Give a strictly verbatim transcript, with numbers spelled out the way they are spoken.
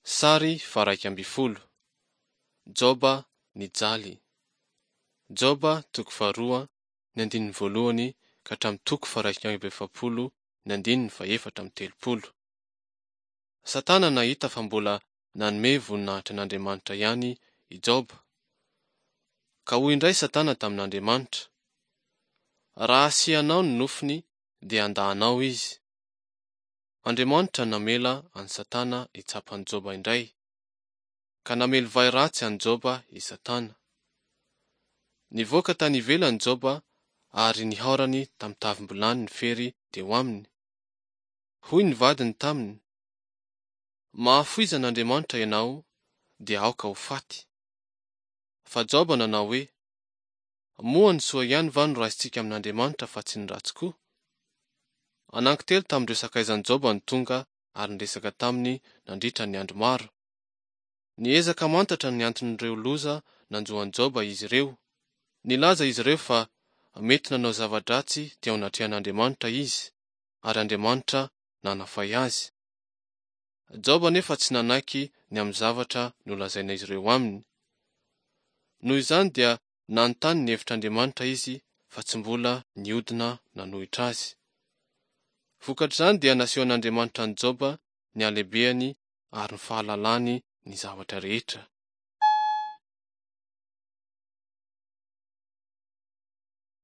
Sary faharaika ambin'ny folo. Joba nijaly. Joba toko faharoa ny andininy voalohany ka hatramin'ny toko faharaika amby efapolo ny andininy fahefatra amby telopolo. Satana nahita fa mbola nanome voninahitra an'Andriamanitra ihany i Joba. Ka hoy indray Satana tamin'Andriamanitra: Raha asianao ny nofony dia handà anao izy. Andriamanitra namela an'i Satana hitsapa an'i Joba indray, ka namely vay ratsy an'i Joba i Satana. Nivoaka tany ivelany Joba ary nihaorany tamin'ny tavim-bilany ny fery teo aminy. Hoy ny vadiny taminy: Mahafoiza an'Andriamanitra ianao, dia aoka ho faty. Fa Joba nanao hoe: Moa ny soa ihany va no raisintsika amin'Andriamanitra fa tsy ny ratsy koa? Anankitelo tamin'ireo sakaizan'i Joba no tonga ary niresaka taminy nandritra ny andro maro. Niezaka hamantatra ny anton'ireo loza nanjo an'i Joba izy ireo. Nilaza izy ireo fa mety nanao zava-dratsy teo anatrehan'Andriamanitra izy, ary Andriamanitra nanafay azy. Joba anefa tsy nanaiky ny amin'ny zavatra nolazain'izy ireo aminy. Noho izany dia nanontany ny hevitr'Andriamanitra izy fa tsy mbola niodina nanohitra azy. Vokatr'izany dia nasehon'Andriamanitra an'i Joba ny halehibeny ary ny fahalalany ny zavatra rehetra.